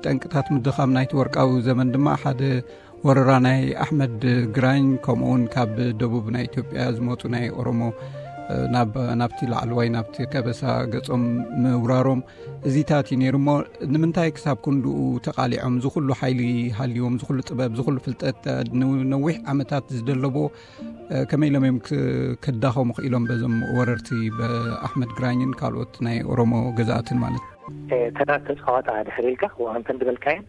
ጠንቅታት ምድኻም ናይቲ ወርቃዊ ዘመን ድማ ሓደ ወረራ ናይ ኣሕመድ ግራኝ፣ ከምኡውን ካብ ደቡብ ናይ ኢትዮጵያ ዝመፁ ናይ ኦሮሞ ናብ ናብቲ ላዕለዋይ ናብቲ ከበሳ ገጾም ምውራሮም፣ እዚታት እዩ ነይሩ። እሞ ንምንታይ ክሳብ ክንድኡ ተቓሊዖም? ዝኹሉ ሓይሊ ሃልዎም፣ ዝኹሉ ጥበብ፣ ዝኹሉ ፍልጠት፣ ንነዊሕ ዓመታት ዝደለቦ፣ ከመይ ኢሎም እዮም ክዳኸሙ ክኢሎም በዞም ወረርቲ፣ ብኣሕመድ ግራኝን ካልኦት ናይ ኦሮሞ ገዛእትን ማለት? ተራ ተፃዋታ ድሕር ኢልካ ከምተን ዝበልካየን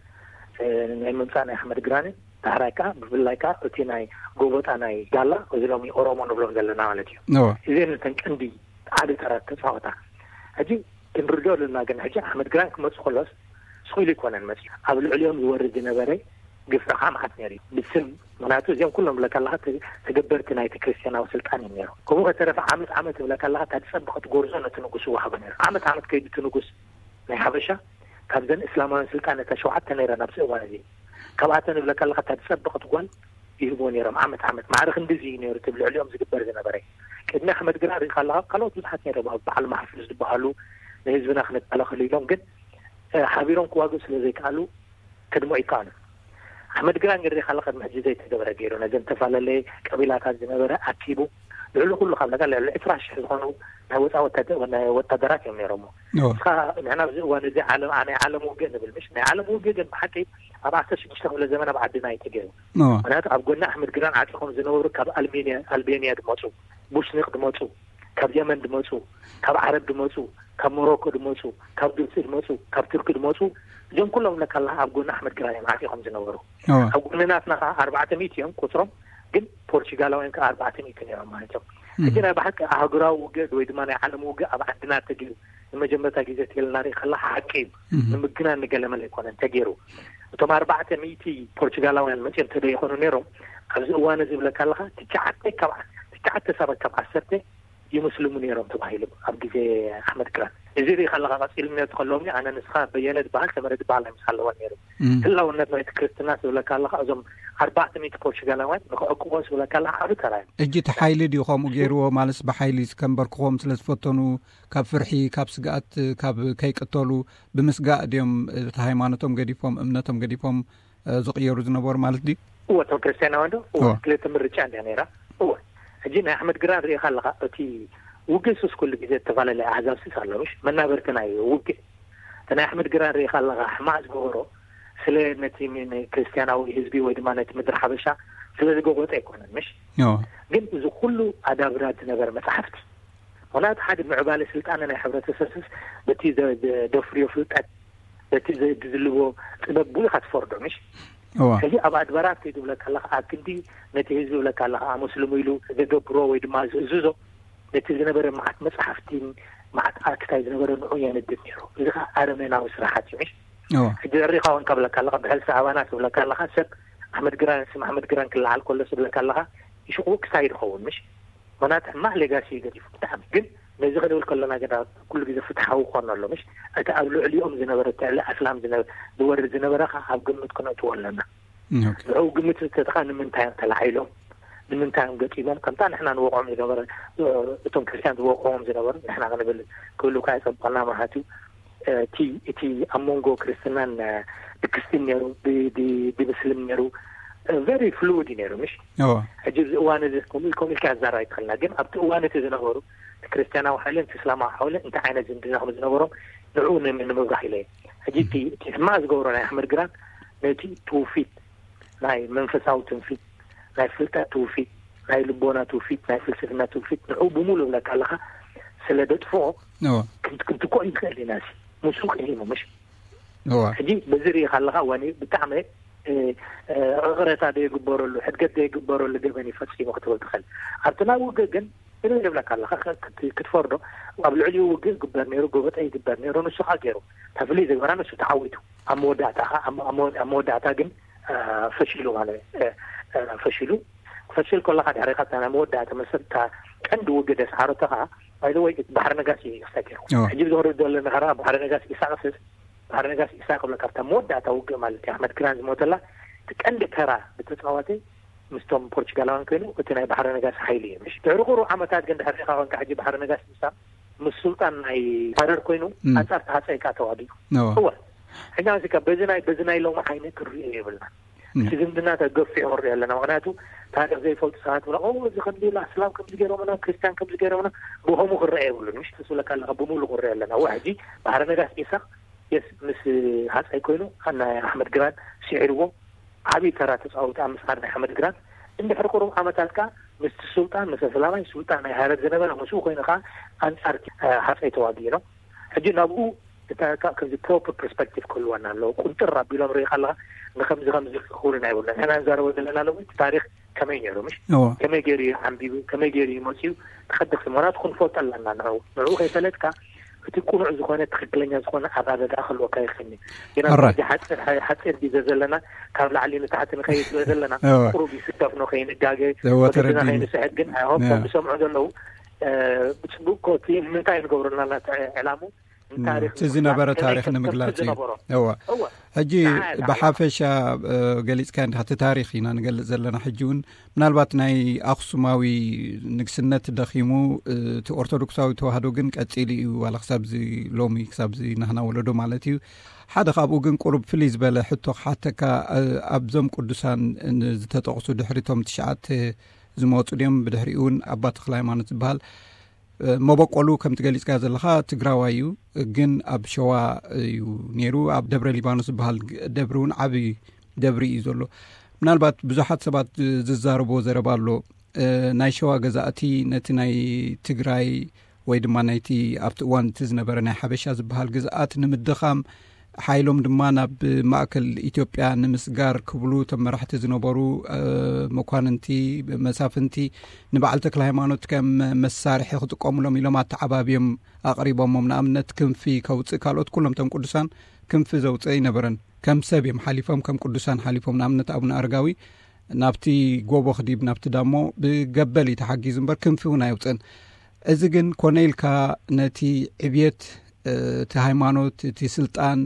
ናይ ምምፃእ ናይ ኣሕመድ ግራኒ፣ ዳሕራይ ከዓ ብፍላይ ከዓ እቲ ናይ ጎቦጣ ናይ ጋላ፣ እዚ ሎሚ ኦሮሞ ንብሎም ዘለና ማለት እዩ። እዚን ነተን ቀንዲ ዓዲ ተራ ተፃዋታ። ሕጂ ክንርድኦ ኣለና። ግን ሕጂ ኣሕመድ ግራን ክመፁ ከሎስ ስኹኢሉ ይኮነን መፅዩ። ኣብ ልዕሊኦም ዝወርድ ዝነበረ ግፍዒ ከዓ መዓት ነይሩ እዩ ብስም። ምክንያቱ እዚኦም ኩሎም ብለካ ኣለካ ተገበርቲ ናይቲ ክርስትያናዊ ስልጣን እዮም ነይሩ። ከምኡ ከተረፈ ዓመት ዓመት ብለካ ኣለካ እታ ዝፀበቐት ጎርዞ ነቲ ንጉስ ይወሃቦ ነይሩ። ዓመት ዓመት ከይዱ እቲ ንጉስ ናይ ሓበሻ ካብዘን እስላማውያን ስልጣን እታ ሸውዓተ ነይረን ኣብዚ እዋን እዚ፣ ካብኣተን ብለካ ኣለካ እታ ዝፀበቐት ጓል ይህብዎ ነይሮም። ዓመት ዓመት ማዕረ ክንዲዚ እዩ ነይሩ እቲ ልዕሊኦም ዝግበር ዝነበረ። ቅድሚ ኣሕመድ ግራ ርኢኻ ኣለካ ካልኦት ብዙሓት ነይሮም፣ ኣብ በዓል ማሕፉዝ ዝበሃሉ ንህዝብና ክንከላኸሉ ኢሎም ግን ሓቢሮም ክዋግኡ ስለ ዘይከኣሉ ክድሞ ይከኣሉ። ኣሕመድ ግራ እንግዲህ ሪኢኻ ኣለካ ቅድሚ ሕጂ ዘይተገበረ ገይሩ ነዘን ተፈላለየ ቀቢላታት ዝነበረ ኣኪቡ ልዕሊ ኩሉ ካብ ለካ ልዕሊ ዕስራ ሽሕ ዝኾኑ ናይ ወፃ ናይ ወታደራት እዮም ነይሮሞ። ንስኻ ንሕና ኣብዚ እዋን እዚ ዓለም ናይ ዓለም ውግእ ንብል ምሽ ናይ ዓለም ውግእ ግን ብሓቂ ኣብ ዓሰርተ ሽዱሽተ ክፍለ ዘመን ኣብ ዓድና እዩ ተገይሩ። ምክንያቱ ኣብ ጎኒ ኣሕመድ ግራን ዓፂኾም ዝነበሩ ካብ ኣልሜንያ ኣልቤንያ ዝመፁ፣ ቡሽኒቅ ዝመፁ፣ ካብ የመን ዝመፁ፣ ካብ ዓረብ ዝመፁ፣ ካብ ሞሮኮ ዝመፁ፣ ካብ ግብፂ ዝመፁ፣ ካብ ቱርኪ ዝመፁ፣ እዞም ኩሎም ለካ ኣለካ ኣብ ጎኒ ኣሕመድ ግራን እዮም ዓፂኾም ዝነበሩ። ኣብ ጎኒ ናትና ከዓ ኣርባዕተ ሚእቲ እዮም ቁፅሮም፣ ግን ፖርቹጋላውያን ከዓ ኣርባዕተ ሚእቲ ነይሮም ማለት እዮም። ሕጂ ናይ ብሓቂ ኣህጉራዊ ውግእ ወይ ድማ ናይ ዓለም ውግእ ኣብ ዓድና ተገይሩ ንመጀመርታ ግዜ ትልና ርኢ ከለካ ሓቂ እዩ። ንምግናን ንገለመለ ኣይኮነን ተገይሩ። እቶም ኣርባዕተ ሚእቲ ፖርቹጋላውያን መፅኦም ተደይኮኑ ነይሮም ኣብዚ እዋን እዚ ብለካ ኣለካ ትሽዓተ ካብ ትሽዓተ ሰባት ካብ ዓሰርተ ይምስልሙ ነይሮም ተባሂሉ ኣብ ግዜ ኣሕመድ ግራን። እዚ ርኢ ከለካ ቀፂሉ ነቲ ከለዎም ኣነ ንስኻ በየነ ዝበሃል ሰመረ ዝበሃል ናይ ምስ ኣለዋ ነይሩ። ህላውነት ናይቲ ክርስትና ዝብለካ ኣለካ እዞም ኣርባዕተ ሚእቲ ፖርቹጋላውያን ንክዕቅቦ ዝብለካ ኣለካ ዓብ ተራ እዮም። እጂ እቲ ሓይሊ ድዩ ከምኡ ገይርዎ? ማለትስ ብሓይሊ ከንበርክኾም ስለ ዝፈተኑ ካብ ፍርሒ ካብ ስግኣት ካብ ከይቅተሉ ብምስጋእ ድዮም እቲ ሃይማኖቶም ገዲፎም እምነቶም ገዲፎም ዝቕየሩ ዝነበሩ ማለት ድዩ? እወ እቶም ክርስትያናውያን ዶ እወ ክልተ ምርጫ እንድያ ነይራ። እወ ሕጂ ናይ ኣሕመድ ግራን ርኢኻ ኣለኻ እቲ ውግእ ሱስ ኩሉ ግዜ ዝተፈላለየ ኣህዛብ ስስ ኣሎ ምሽ መናበርቲ ናይ ውግእ እቲ ናይ ኣሕመድ ግራን ርኢኻ ኣለኻ ሕማቕ ዝገበሮ ስለ ነቲ ክርስትያናዊ ህዝቢ ወይ ድማ ነቲ ምድሪ ሓበሻ ስለ ዝገጎጠ ኣይኮነን ምሽ ግን እዚ ኩሉ ኣዳብራት ዝነበረ መፅሓፍቲ ምክንያቱ ሓደ ምዕባለ ስልጣነ ናይ ሕብረተሰብስ በቲ ዘደፍርዮ ፍልጠት በቲ ዝልዎ ጥበብ ብኡ ኢካ ትፈርዶ ምሽ ሕጂ ኣብ ኣድባራት ከይዱ ብለካ ኣለካ ኣብ ክንዲ ነቲ ህዝቢ ብለካ ኣለካ ኣመስልሙ ኢሉ ዘገብሮ ወይ ድማ ዝእዝዞ ነቲ ዝነበረ መዓት መፅሓፍቲን መዓት ኣክታይ ዝነበረ ንዑ የንድድ ነይሩ። እዚ ከዓ ኣረሜናዊ ስራሓት እዩ ምሽ ሕጂ ዘሪካ እውን ከብለካ ኣለካ ብሕልሲ ኣባና ትብለካ ኣለካ ሰብ ኣሕመድ ግራን ስም ኣሕመድ ግራን ክለዓል ከሎ ስብለካ ኣለካ ይሽቁ ክሳይ ዝኸውን ምሽ ምክንያቱ ሕማቅ ሌጋሲ ገዲፉ ብጣዕሚ ግን ነዚ ክንብል ከለና ግን ኩሉ ግዜ ፍትሓዊ ክኾን ኣሎ ምሽ እቲ ኣብ ልዕሊኦም ዝነበረ ትዕሊ ኣስላም ዝወርድ ዝነበረ ከዓ ኣብ ግምት ክነእትዎ ኣለና። ንዕኡ ግምት ዝተትኻ ንምንታይ እዮም ተላዒሎም ንምንታይ እዮም ገጢሞም ከምታ ንሕና ንወቕዖም ዝነበረ እቶም ክርስትያን ዝወቕዕዎም ዝነበሩ ንሕና ክንብል ክብሉ ከዓ ይፀብቀልና ማለት እዩ። እቲ እቲ ኣብ መንጎ ክርስትናን ብክስትን ነይሩ ብምስልም ነይሩ very fluid እዩ ነይሩ ምሽ ሕጂ እዚ እዋን እዚ ከምኡ ኢልካ ኣዛራብ ይትኽልና ግን ኣብቲ እዋን እቲ ዝነበሩ እቲ ክርስትያናዊ ሓይልን እቲ እስላማዊ ሓይልን እንታይ ዓይነት ዝምድና ከም ዝነበሮም ንዕኡ ንምብራህ ኢለ ሕጂ እቲ ሕማቅ ዝገብሮ ናይ ኣሕመድ ግራን ነቲ ትውፊት ናይ መንፈሳዊ ትውፊት ናይ ፍልጠት ትውፊት ናይ ልቦና ትውፊት ናይ ፍልስፍና ትውፊት ንዕኡ ብሙሉ እብለካ ኣለካ ስለ ደጥፍኦ ክንትክኦ ይኽእል ኢና ምስኡ ቅሂሙ ምሽ ሕጂ በዚ ርኢኻ ኣለካ እዋን ብጣዕሚ ዕቕረታ ደየግበረሉ ሕድገት ደየግበረሉ ገበን እዩ ፈፂሙ ክትብል ትኽእል ኣብቲ ናይ ውግእ ግን እለ ይብለካ ኣለካ ክትፈርዶ ኣብ ልዕሊኡ ውግእ ይግበር ነይሩ ጎበጠ ይግበር ነይሩ ንሱ ከዓ ገይሩ ተፍልይ ዝግበራ ንሱ ተዓዊቱ ኣብ መወዳእታ ከዓ ኣብ መወዳእታ ግን ፈሽሉ ማለት ፈሽሉ ፈሽል ከለካ ድሕሪ ካብታ ናይ መወዳእታ መሰልታ ቀንዲ ውግእ ደስዓረቶ ከዓ ባይዘወይ ባሕሪ ነጋሲ እዩ ክሳኪሩ ሕጂ ዝወርድ ዘሎ ናኸራ ባሕሪ ነጋሲ ኢሳቅስስ ባሕሪ ነጋሲ ኢሳቅ ብለካ ኣብታ መወዳእታ ውግእ ማለት እዩ ኣሕመድ ግራን ዝሞተላ እቲ ቀንዲ ተራ ብተፃዋተ ምስቶም ፖርቹጋላውያን ኮይኑ እቲ ናይ ባሕሪ ነጋሲ ሓይሊ እዩ ምሽ ድሕሪ ቁሩብ ዓመታት ግን ድሕሪ ሪኢኻ ኮንካ ሕጂ ባሕሪ ነጋሲ ኢሳቅ ምስ ሱልጣን ናይ ሃረር ኮይኑ ኣንፃር ተሃፀ ኢካ ተዋጊኡ እወ ሕጂ ኣዚካ በዚ ናይ በዚ ናይ ሎሚ ዓይኒ ክንሪኦ የብልና። እቲ ዝምድና ተገፊሑ ክንሪኦ ኣለና። ምክንያቱ ታሪክ ዘይፈልጡ ሰባት ብላ እዚ ከምዚ ኢላ እስላም ከምዚ ገይሮምና፣ ክርስቲያን ከምዚ ገይሮምና፣ ብከምኡ ክረአ የብሉን። ምሽ ትስብለካ ኣለካ ብምሉ ክንሪኦ ኣለና። ዋ ሕጂ ባህረ ነጋስ ኢሳቅ የስ ምስ ሃፀይ ኮይኑ ናይ ኣሕመድ ግራን ስዒርዎ ዓብዪ ተራ ተፃወተ ኣብ ምስዓር ናይ ሓመድ ግራን። እንድሕር ቁሩብ ዓመታት ከኣ ምስቲ ሱልጣን፣ ምስ ኣስላማይ ሱልጣን ናይ ሃረር ዝነበረ ምስኡ ኮይኑ ከኣ ኣንጻር ሃፀይ ተዋጊኡ ነው። ሕጂ ናብኡ እታ ከምዚ ፕሮፐር ፐርስፐክቲቭ ክህልወና ኣለዎ። ቁንጥር ኣቢሎም ርኢ ከለካ ንከምዚ ከምዚ ክኸውን ኣይብሉ። ንሕና ንዛረቦ ዘለና ሎሚ እቲ ታሪክ ከመይ ነይሩ ምሽ ከመይ ገይሩ እዩ ዓንቢቡ፣ ከመይ ገይሩ እዩ መፅኡ፣ ተኸደክ ምክንያቱ ክንፈልጦ ኣለና። ንዑ ንዑ ከይፈለጥካ እቲ ቁኑዕ ዝኾነ ትኽክለኛ ዝኾነ ኣረዳድኣ ክህልወካ ይኽእል። ግና ሕጂ ሓፂር ሓፂር ግዜ ዘለና ካብ ላዕሊ ንታሕቲ ንኸይድ ስለ ዘለና ቁሩብ ይስከፍኖ ከይንጋገ ወተረዲኒ ከይንስሕት። ግን ኣይሆን ከም ዝሰምዑ ዘለዉ ብፅቡቅ ኮቲ ንምንታይ ንገብረና ዕላሙ እቲ ዝነበረ ታሪክ ንምግላፅ እዩ። እወ ሕጂ ብሓፈሻ ገሊፅካ እንዲካ እቲ ታሪክ ኢና ንገልፅ ዘለና። ሕጂ እውን ምናልባት ናይ ኣክሱማዊ ንግስነት ደኺሙ እቲ ኦርቶዶክሳዊ ተዋህዶ ግን ቀፂሉ እዩ ዋላ ክሳብዚ ሎሚ ክሳብዚ ናህና ወለዶ ማለት እዩ። ሓደ ካብኡ ግን ቁሩብ ፍልይ ዝበለ ሕቶ ክሓተካ ኣብዞም ቅዱሳን ዝተጠቕሱ ድሕሪቶም ትሽዓተ ዝመፁ ድዮም ብድሕሪኡ እውን ኣባ ተክለ ሃይማኖት ዝበሃል መበቆሉ ከምቲ ገሊፅካ ዘለካ ትግራዋይ እዩ። ግን ኣብ ሸዋ እዩ ነይሩ። ኣብ ደብረ ሊባኖስ ዝበሃል ደብሪ እውን ዓብዪ ደብሪ እዩ ዘሎ። ምናልባት ብዙሓት ሰባት ዝዛረብዎ ዘረባ ኣሎ። ናይ ሸዋ ገዛእቲ ነቲ ናይ ትግራይ ወይ ድማ ናይቲ ኣብቲ እዋን እቲ ዝነበረ ናይ ሓበሻ ዝበሃል ግዝኣት ንምድኻም ሓይሎም ድማ ናብ ማእከል ኢትዮጵያ ንምስጋር ክብሉ እቶም መራሕቲ ዝነበሩ መኳንንቲ መሳፍንቲ ንበዓል ተክለ ሃይማኖት ከም መሳርሒ ክጥቀሙሎም ኢሎም ኣተዓባብዮም ኣቕሪቦሞም። ንኣብነት ክንፊ ከውፅእ ካልኦት ኩሎም እቶም ቅዱሳን ክንፊ ዘውፅእ ኣይነበረን። ከም ሰብ እዮም ሓሊፎም፣ ከም ቅዱሳን ሓሊፎም። ንኣብነት ኣቡነ ኣረጋዊ ናብቲ ጎቦ ክዲብ ናብቲ ዳሞ ብገበል እዩ ተሓጊዙ እምበር ክንፊ እውን ኣየውፅእን። እዚ ግን ኮነ ኢልካ ነቲ ዕብየት እቲ ሃይማኖት እቲ ስልጣን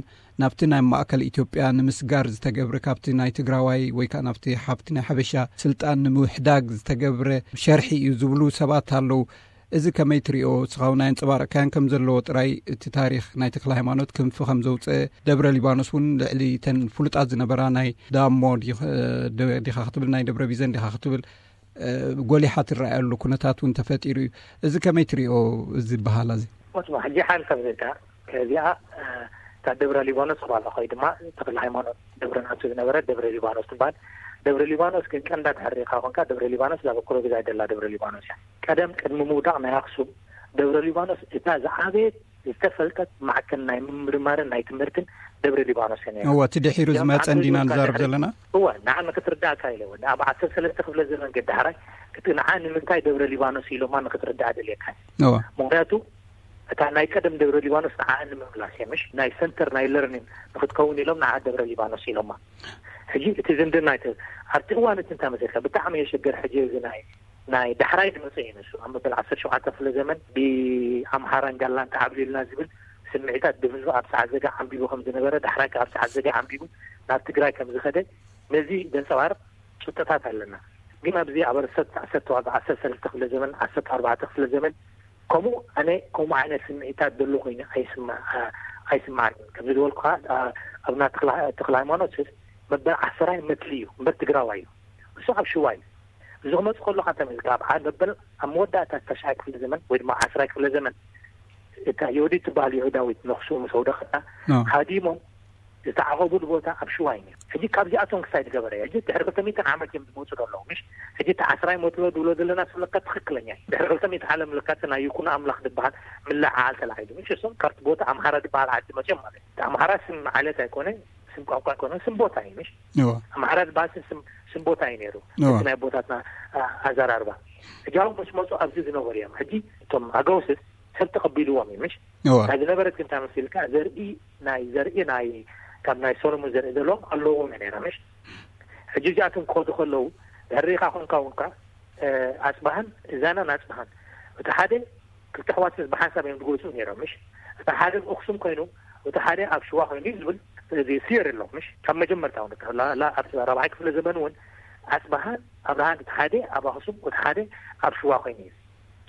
ናብቲ ናይ ማእከል ኢትዮጵያ ንምስጋር ዝተገብረ ካብቲ ናይ ትግራዋይ ወይ ከዓ ናብቲ ሓብቲ ናይ ሓበሻ ስልጣን ንምውሕዳግ ዝተገብረ ሸርሒ እዩ ዝብሉ ሰባት ኣለዉ። እዚ ከመይ ትሪኦ? ስኻው ናይ ኣንፀባረቅካያን ከም ዘለዎ ጥራይ እቲ ታሪክ ናይ ተክለ ሃይማኖት ክንፊ ከም ዘውፀ ደብረ ሊባኖስ እውን ልዕሊ ተን ፍሉጣት ዝነበራ ናይ ዳሞ ዲኻ ክትብል ናይ ደብረ ቢዘን ዲኻ ክትብል ጎሊሓ ትረኣየሉ ኩነታት እውን ተፈጢሩ እዩ። እዚ ከመይ ትሪኦ? እዚ በሃላ እዚ ሞትማ ሕጂ ሓል ከም ዘልካ ከዚኣ እታ ደብረ ሊባኖስ ክባላ ኮይ ድማ ተክለ ሃይማኖት ደብረ ናቱ ዝነበረ ደብረ ሊባኖስ ትበሃል። ደብረ ሊባኖስ ግን ቀንዳ ተሕሪኻ ኮንካ ደብረ ሊባኖስ ላበ ኩረግዛ ደላ ደብረ ሊባኖስ እያ። ቀደም ቅድሚ ምውዳቕ ናይ ኣክሱም ደብረ ሊባኖስ እታ ዝዓበየት ዝተፈልጠት ማዕከን ናይ ምምርማርን ናይ ትምህርትን ደብረ ሊባኖስ እያ ነይራ። እወ እቲ ድሒሩ ዝመፀ እንዲና ንዛረብ ዘለና። እወ ንዓ ንክትርዳእካ ኢለ እወ ኣብ ዓሰርተ ሰለስተ ክፍለ ዘመን ገዳሕራይ እቲ ንዓ ንምንታይ ደብረ ሊባኖስ ኢሎማ ንክትርዳእ ደልየካ። እወ ምክንያቱ እታ ናይ ቀደም ደብረ ሊባኖስ ንዓ ንምምላስ እየ ምሽ ናይ ሰንተር ናይ ለርኒንግ ንክትከውን ኢሎም ንዓ ደብረ ሊባኖስ ኢሎማ። ሕጂ እቲ ዝምድና ይተ ኣብቲ እዋን እቲ እንታይ መሰልካ ብጣዕሚ የሸገር። ሕጂ እዚ ናይ ናይ ዳሕራይ ዝመፀ እዩ ንሱ ኣብ መበል ዓሰርተ ሸውዓተ ክፍለ ዘመን ብኣምሓራን ጋላን ተዓብሊልና ዝብል ስምዒታት ብህዝቢ ኣብ ሰዓት ዘጋ ዓንቢቡ ከም ዝነበረ ዳሕራይ ኣብ ሰዓት ዘጋ ዓንቢቡ ናብ ትግራይ ከም ዝኸደ ነዚ ዘንፀባርቕ ጭብጥታት ኣለና። ግን ኣብዚ ኣብ ኣረሰት ዓሰርተ ዋጋ ዓሰርተ ሰለስተ ክፍለ ዘመን ዓሰርተ ኣርባዕተ ክፍለ ዘመን ከምኡ ኣነ ከምኡ ዓይነት ስምዒታት ዘሎ ኮይኑ ኣይስማዓን። ከምዚ ዝበልኩ ከዓ ኣብና ተክለ ሃይማኖት መበል ዓሰራይ መትሊ እዩ እምበር ትግራዋይ እዩ። እሱ ኣብ ሽዋ እዩ። እዚ ክመፅ ከሎ ከ ተመልካ ኣብ መበል ኣብ መወዳእታ ተሽዓይ ክፍለ ዘመን ወይ ድማ ዓስራይ ክፍለ ዘመን እታ ዮዲት ትበሃል ይሁዳዊት ነክሱ ምስ ኣውደቀታ ሃዲሞም ዝተዓቐቡሉ ቦታ ኣብ ሽዋ እዩ። ሕጂ ካብዚኣቶም ክሳይ ዝገበረ ሕጂ ድሕሪ ክልተ ሚእትን ዓመት እዮም ዝመፁ ዘለዉ ምሽ። ሕጂ እቲ ዓስራይ መትሎ ዝብሎ ዘለና ስለካ ትክክለኛ እዩ። ድሕሪ ክልተ ሚእቲ ዓለም ለካቲ ናይ ይኩኖ ኣምላኽ ዝበሃል ምልዕዓል ተላዒሉ ምሽ። እሶም ካብቲ ቦታ ኣምሓራ ዝበሃል ዓዲ መፅኦም ማለት እዩ። ኣምሓራ ስም ዓለት ኣይኮነ፣ ስም ቋንቋ ኣይኮነ፣ ስም ቦታ እዩ ምሽ። ኣምሓራ ዝበሃል ስም ስም ቦታ እዩ ነይሩ። እቲ ናይ ቦታትና ኣዘራርባ ሕጂ ኣብ ምስ መፁ ኣብዚ ዝነበሩ እዮም። ሕጂ እቶም ኣገውስስ ሰብ ተቐቢልዎም እዩ ምሽ። ናይ ዝነበረት ግን እንታይ መሲልካ ዘርኢ ናይ ዘርኢ ናይ ካብ ናይ ሶሎሞን ዘርኢ ዘለዎም ኣለዎም ነይራ ምሽ። ሕጂ እዚኣቶም ክኸዱ ከለዉ ድሕሪኻ ኮንካ ውንካ ኣፅባሃን እዛናን ኣፅባሃን እቲ ሓደ ክልተ ኣሕዋት ብሓንሳብ እዮም ዝጎፅኡ ነይሮም ምሽ። እቲ ሓደ ኣክሱም ኮይኑ እቲ ሓደ ኣብ ሽዋ ኮይኑ እዩ ዝብል እዚ ሲዮሪ ኣሎ ምሽ። ካብ መጀመርታ እውን ኣብ ራብዓይ ክፍለ ዘመን እውን ኣፅባሃን ኣብርሃን እቲ ሓደ ኣብ ኣክሱም እቲ ሓደ ኣብ ሽዋ ኮይኑ እዩ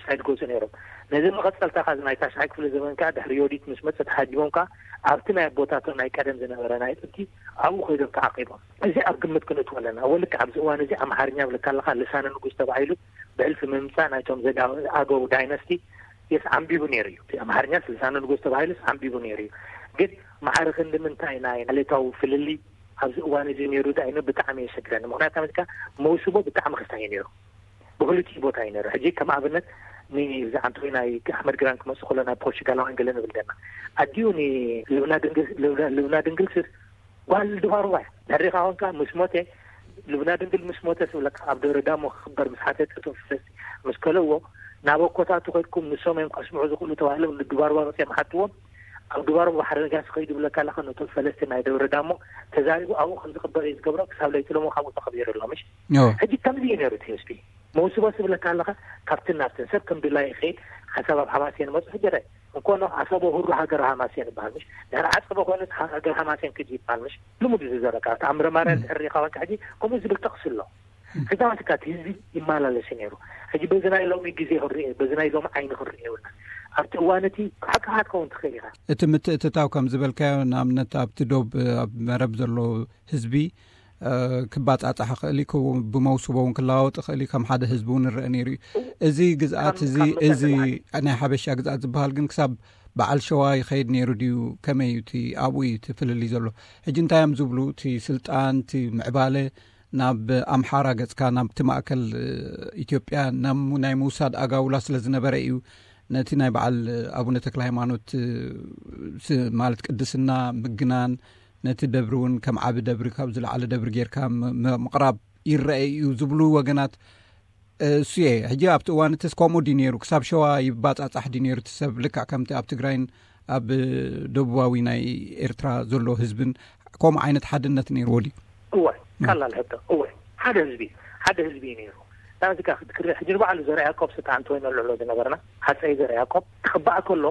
ሳይድ ጎፁ ነይሮም። ነዚ መቐፀልታ ካ ናይ ታሽዓይ ክፍለ ዘመን ከዓ ድሕሪ ዮዲት ምስ መፀ ተሃዲሞም ከዓ ኣብቲ ናይ ኣቦታቶም ናይ ቀደም ዝነበረ ናይ ጥንቲ ኣብኡ ኮይዶም ተዓቂቦም። እዚ ኣብ ግምት ክንእትዎ ኣለና። ወልክ ኣብዚ እዋን እዚ ኣምሓርኛ ብለካ ኣለካ ልሳነ ንጉስ ተባሂሉ ብሕልፊ ምምፃእ ናይቶም ዘጋ ኣገው ዳይነስቲ የስ ዓንቢቡ ነይሩ እዩ። ኣምሓርኛ ልሳነ ንጉስ ተባሂሉስ ዓንቢቡ ነይሩ እዩ። ግን ማዕረ ክንዲ ምንታይ ናይ ዓሌታዊ ፍልልይ ኣብዚ እዋን እዚ ነይሩ ዳይኑ ብጣዕሚ የሸግረኒ። ምክንያቱ ኣመልካ መውስቦ ብጣዕሚ ክስታይ ነይሩ። ብክልቲኡ ቦታ እዩ ነይሩ። ሕጂ ከም ኣብነት ንዝዓንተወይ ናይ ኣሕመድ ግራን ክመፅእ ከሎ ናይ ፖርቹጋላውያን ገለ ንብል ደና ኣዲኡ ንልብና ድንግል ስስ ጓል ድባርዋ እያ። ተሪኻ ኮንካ ምስ ሞተ ልብና ድንግል ምስ ሞተ ስብለካ ኣብ ደብረ ዳሞ ክክበር ምስ ሓተተ እቶም ፈለስቲ ምስ ከለዎ ናብ ኣኮታቱ ከድኩም ንሶም እዮም ከስምዑ ዝኽእሉ ተባሂሎም ንድባርዋ መፅኦም ሓትዎም ኣብ ድባርዋ ባሕሪ ነጋሲ ከይዱ ብለካ ኣለካ ነቶም ፈለስቲ ናይ ደብረ ዳሞ ተዛሪቡ ኣብኡ ከም ዝክበር እዩ ዝገብሮ ክሳብ ለይቲ ሎሞ ካብኡ ተኸቢሩ ኣሎ ምሽ ሕጂ ከምዚ እዩ ነይሩ እቲ ህዝቢ መውስቦ ስብለካ ኣለኻ ካብትን ናብትን ሰብ ከም ድላይ ይኸይድ ሓሳብ ኣብ ሓማስየን መፁ ሕጂ ረ እንኮኖ ኣሳቦ ሁሩ ሃገር ሃማስየን ይበሃል ምሽ ድሕሪ ዓፀበ ኮይኑ ሃገር ሃማስየን ክጂ ይበሃል ምሽ ልሙድ እዩ ዝዘረካ ኣብቲ ኣምረ ማርያ ድሕሪ ሪኻ ወንካ ሕጂ ከምኡ ዝብል ጥቕሲ ኣሎ ሕጂ ማለትካ እቲ ህዝቢ ይመላለስ ነይሩ ሕጂ በዚ ናይ ሎሚ ግዜ ክርእ በዚ ናይ ሎሚ ዓይኒ ክርእ የብልና ኣብቲ እዋን እቲ ሓቅኻ ክትከውን ትኽእል ኢኻ እቲ ምትእትታው ከም ዝበልካዮ ንኣብነት ኣብቲ ዶብ ኣብ መረብ ዘሎ ህዝቢ ክባጻጻሕ ይኽእል እዩ፣ ብመውስቦ እውን ክለዋወጥ ይኽእል እዩ፣ ከም ሓደ ህዝቢ እውን ይረአ ነይሩ እዩ። እዚ ግዝኣት እዚ እዚ ናይ ሓበሻ ግዝኣት ዝበሃል ግን ክሳብ በዓል ሸዋ ይኸይድ ነይሩ ድዩ? ከመይ እዩ እቲ ኣብኡ እዩ እቲ ፍልልይ ዘሎ? ሕጂ እንታይ እዮም ዝብሉ? እቲ ስልጣን፣ እቲ ምዕባለ ናብ ኣምሓራ ገጽካ ናብቲ ማእከል ኢትዮጵያ ናይ ምውሳድ ኣጋውላ ስለ ዝነበረ እዩ ነቲ ናይ በዓል ኣቡነ ተክለ ሃይማኖት ማለት ቅድስና ምግናን ነቲ ደብሪ እውን ከም ዓቢ ደብሪ ካብ ዝለዓለ ደብሪ ጌርካ ምቕራብ ይረአ እዩ ዝብሉ ወገናት እሱ እየ። ሕጂ ኣብቲ እዋን እትስ ከምኡ ድዩ ነይሩ? ክሳብ ሸዋ ይባጻጻሕ ድዩ ነይሩ እቲ ሰብ? ልክዕ ከምቲ ኣብ ትግራይን ኣብ ደቡባዊ ናይ ኤርትራ ዘሎ ህዝብን ከምኡ ዓይነት ሓድነት ነይርዎ ድዩ? እወ፣ ቀላል ሕቶ። እወ፣ ሓደ ህዝቢ፣ ሓደ ህዝቢ እዩ ነይሩ። ናዚ ካ ክትክሪ ሕጂ ንባዕሉ ዘርኣ ያዕቆብ ስታ ኣንቶይኖ ልዕሎ ዝነበርና፣ ሃፀይ ዘርኣ ያዕቆብ ክቕባእ ከሎ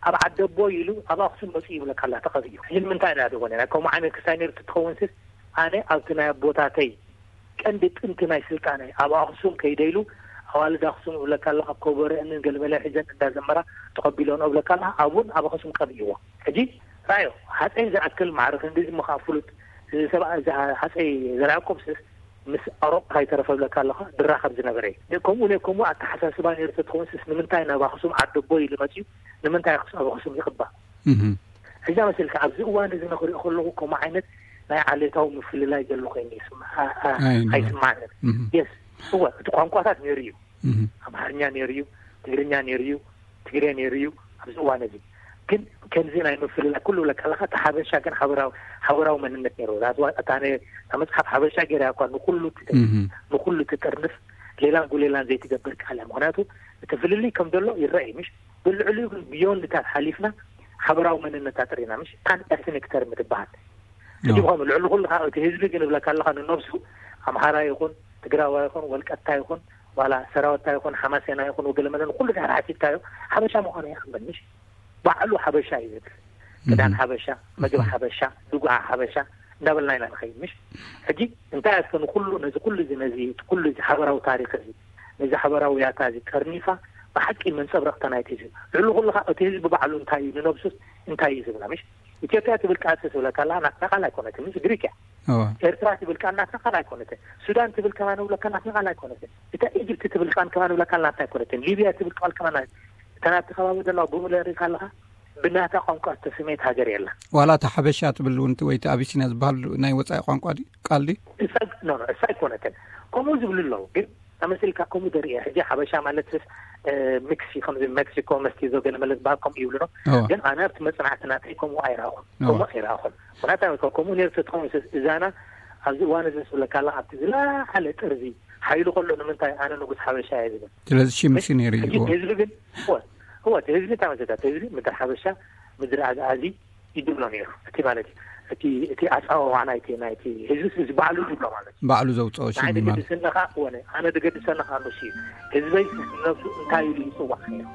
ኣብ ዓደቦ ኢሉ ኣብ ኣኽሱም መፂኡ ይብለካ ኣላ ተቐቢኡ። ሕጂ ንምንታይ ኢና ደኾነ ናይ ከምኡ ዓይነት ክሳይ ነይሩ ትትኸውን ስስ ኣነ ኣብቲ ናይ ኣቦታተይ ቀንዲ ጥንቲ ናይ ስልጣነ ኣብ ኣኽሱም ከይደ ኢሉ ኣዋልድ ኣኽሱም እብለካ ኣለኻ ኮበረአንን ገልመለ ሒዘን እንዳዘመራ ተቐቢሎን እብለካ ኣለኻ ኣብኡን ኣብ ኣኽሱም ቀቢእዎ። ሕጂ ራዮ ሃፀይ ዝኣክል ማዕረ ክንዲዚ ምኻ ፍሉጥ እዚ ሰብ እዚ ሃፀይ ዘርዓ ያዕቆብ ስስ ምስ ኣውሮጳ ከይተረፈ እብለካ ኣለኻ ድራኸብ ዝነበረ እዩ። ከምኡ ነ ከምኡ ኣተሓሳስባ ነይሩ ተትኸውን ስስ ንምንታይ ናብ ኣኽሱም ዓደቦ ኢሉ መፅዩ ንምንታይ ኣኽሱም ኣብ ኣኽሱም ይቕባእ? እዛ መሰልካ ኣብዚ እዋን እዚ ንክሪኦ ከለኹ ከምኡ ዓይነት ናይ ዓሌታዊ ምፍልላይ ዘሎ ኮይኑ ይስማ- ኣ- ኣ- ኣይስማዕንን። የስ እወ እቲ ቋንቋታት ነይሩ እዩ። ኣምሓርኛ ነይሩ እዩ፣ ትግርኛ ነይሩ እዩ፣ ትግሬ ነይሩ እዩ። ኣብዚ እዋን እዚ ግን ከምዚ ናይ ምፍልላይ ኩሉ ብለካ ኣለካ እቲ ሓበሻ ግን ሓበራዊ ሓበራዊ መንነት ነይሩ። ዛት እዋ- እታ ነ- እታ መፅሓፍ ሓበሻ ገይራ እኳ ንኩሉ ትደ- ንኩሉ ትጥርንፍ ሌላን ጉሌላን ዘይትገብር ቃል እያ። ምክንያቱ እቲ ፍልልይ ከም ዘሎ ይረአ እዩ ምሽ ብልዕሊኡ ግን ብዮንድታት ሓሊፍና ሓበራዊ መንነት ኣጥሪና ምሽ ፓን ኤትኒክ ተርም ትበሃል። ሕጂ ብኸም ልዕሊ ኩሉ ከዓ እቲ ህዝቢ ግን እብለካ ኣለካ ንነብሱ ኣምሓራ ይኹን ትግራዋ ይኹን ወልቀታ ይኹን ዋላ ሰራወታ ይኹን ሓማሴና ይኹን ወገለመለን ኩሉ ድሕር ሓሲብካዮ ሓበሻ ምዃኑ ይኣምን ምሽ ባዕሉ ሓበሻ እዩ ዝብል ክዳን ሓበሻ መግቢ ሓበሻ ድጉዓ ሓበሻ እንዳበልና ኢና ንኸይድ ምሽ ሕጂ እንታይ ኣስከ ንኩሉ ነዚ ኩሉ እዚ ነዚ ኩሉ እዚ ሓበራዊ ታሪክ እዚ ነዚ ሓበራዊ ያታ እዚ ጠርኒፋ ብሓቂ መንፀብረቕታ ናይቲ ህዝቢ ልዕሊ ኩሉ ከዓ እቲ ህዝቢ ባዕሉ እንታይ እዩ ንነብሱስ እንታይ እዩ ዝብላ ምሽ ኢትዮጵያ ትብል ቃል ስስ ብለካ ኣላ ናትና ቃል ኣይኮነትን ምስ ግሪክ እያ ኤርትራ ትብል ቃል ናትና ቃል ኣይኮነትን ሱዳን ትብል ከማን ብለካ ናትና ቃል ኣይኮነትን እታ ኢጅፕት ትብል ቃል ከማን ብለካ ናትና ኣይኮነትን ሊብያ ትብል ቃል ከማን እታ ናብቲ ከባቢ ዘለዋ ብምለ ሪካ ኣለካ ብናታ ቋንቋ ዝተሰመየት ሃገር የላ ዋላ እታ ሓበሻ ትብል እውን ወይ ኣቢሲንያ ዝበሃል ናይ ወፃኢ ቋንቋ ቃል ድዩ እሳ ኣይኮነትን ከምኡ ዝብሉ ኣለዉ ግን ተመሲልካ ከምኡ ደርኢ ሕጂ ሓበሻ ማለት ስስ ሚክሲ ከምዚ ሜክሲኮ መስቲ ዘገለ መለ ዝበሃል ከምኡ ይብሉ ዶ ግን ኣነ ኣብቲ መፅናዕቲ ናተይ ከምኡ ኣይረኣኹን ከምኡ ኣይረኣኹን ምክንያቱ ከምኡ ነይሩ ተትኸውን ስስ እዛና ኣብዚ እዋን እዚ ስብለካ ኣላ ኣብቲ ዝለዓለ ጥርዚ ሓይሉ ከሎ ንምንታይ ኣነ ንጉስ ሓበሻ እየ ዝብል ስለዚ ሽምሲ ነይሩ እዩ ህዝቢ ግን እወ እቲ ህዝቢ እንታይ መሰታት ህዝቢ ምድሪ ሓበሻ ምድሪ ኣግኣዚ ይድብሎ ነይሩ እቲ ማለት እዩ እቲ እቲ ኣፃዋዋ ናይቲ ናይቲ ህዝቢ እዚ ባዕሉ ይድብሎ ማለት እዩ ባዕሉ ዘውፅኦ ሽም ንዓይ ማለት ድገድሰኒ ከዓ እወ ኣነ ድገድሰኒ ከዓ ንሱ እዩ ህዝበይ ነብሱ እንታይ ኢሉ ይፅዋዕ ነይሩ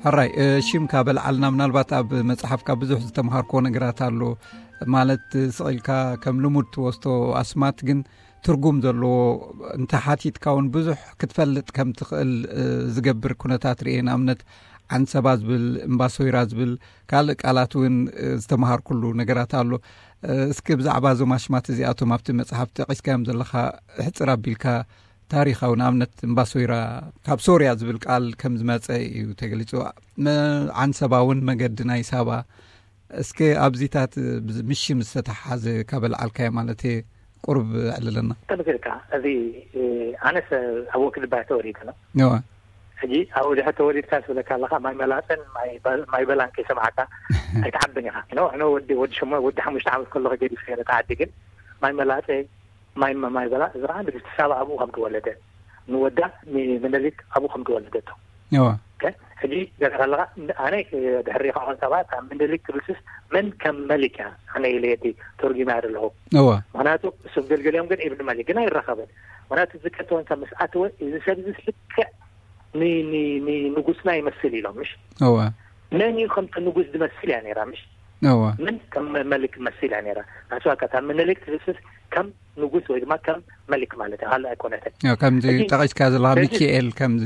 ሕራይ ሽምካ በልዓልና ምናልባት ኣብ መፅሓፍካ ብዙሕ ዝተምሃርኮ ነገራት ኣሎ ማለት ስቕ ኢልካ ከም ልሙድ ትወስቶ ኣስማት ግን ትርጉም ዘለዎ፣ እንተ ሓቲትካ እውን ብዙሕ ክትፈልጥ ከም ትኽእል ዝገብር ኩነታት ርኤ። ንኣብነት ዓንሰባ ዝብል፣ እምባሶይራ ዝብል ካልእ ቃላት እውን ዝተምሃርኩሉ ነገራት ኣሎ። እስኪ ብዛዕባ እዞም ኣሽማት እዚኣቶም ኣብቲ መጽሓፍ ጠቒስካዮም ዘለኻ ሕጽር ኣቢልካ ታሪኻዊ፣ ንኣብነት እምባሶይራ ካብ ሶርያ ዝብል ቃል ከም ዝመጸ እዩ ተገሊጹ። ዓንሰባ እውን መገዲ ናይ ሳባ። እስከ ኣብዚታት ምስ ሽም ዝተተሓሓዘ ካብ ኣልዓልካዮ ማለት እየ ቁሩብ ዕልለና። ከምዚ ኢልካ፣ እዚ ኣነስ ኣብ ወክድባይ ተወሊደ ነው። ሕጂ ኣብኡ ድሕር ተወሊድካ ስብለካ ኣለካ፣ ማይ መላፅን ማይ በላን ከይሰማዕካ ኣይትዓብን ኢኻ። ሕነ ወዲ ወዲ ሸሞ ወዲ ሓሙሽተ ዓመት ከለኹ ገዲፈ ነታ ዓዲ። ግን ማይ መላፀ፣ ማይ ማይ በላ፣ እዚ ከዓ ንግስቲ ሳባ ኣብኡ ከም ዝወለደ፣ ንወዳ ምኒልክ ኣብኡ ከም ዝወለደቶ። ሕጂ ገዛ ኣለካ፣ ኣነ ድሕሪ ከዓ ሰባት ኣብ ምኒልክ ትብልስስ መን ከም መሊክ እያ ኣነ ኢለ የዲ ተርጉማ ኣለኹ። ምክንያቱ እሱም ገልገሊኦም ግን ኢብን መሊክ ግን ኣይራኸበን። ምክንያቱ ዝከተወን ካብ ምስ ኣተወ፣ እዚ ሰብ እዚ ልክዕ ንንጉስና ይመስል ኢሎም። ምሽ መን እዩ ከምቲ ንጉስ ዝመስል እያ ነራ። ምሽ መን ከም መሊክ መስል እያ ነራ። ናስዋካ ካብ ምኒልክ ትብልስስ ከም ንጉስ ወይ ድማ ከም መሊክ ማለት እያ፣ ካልእ ኣይኮነትን። ከምዚ ጠቂስካ ዘለካ ሚካኤል፣ ከምዚ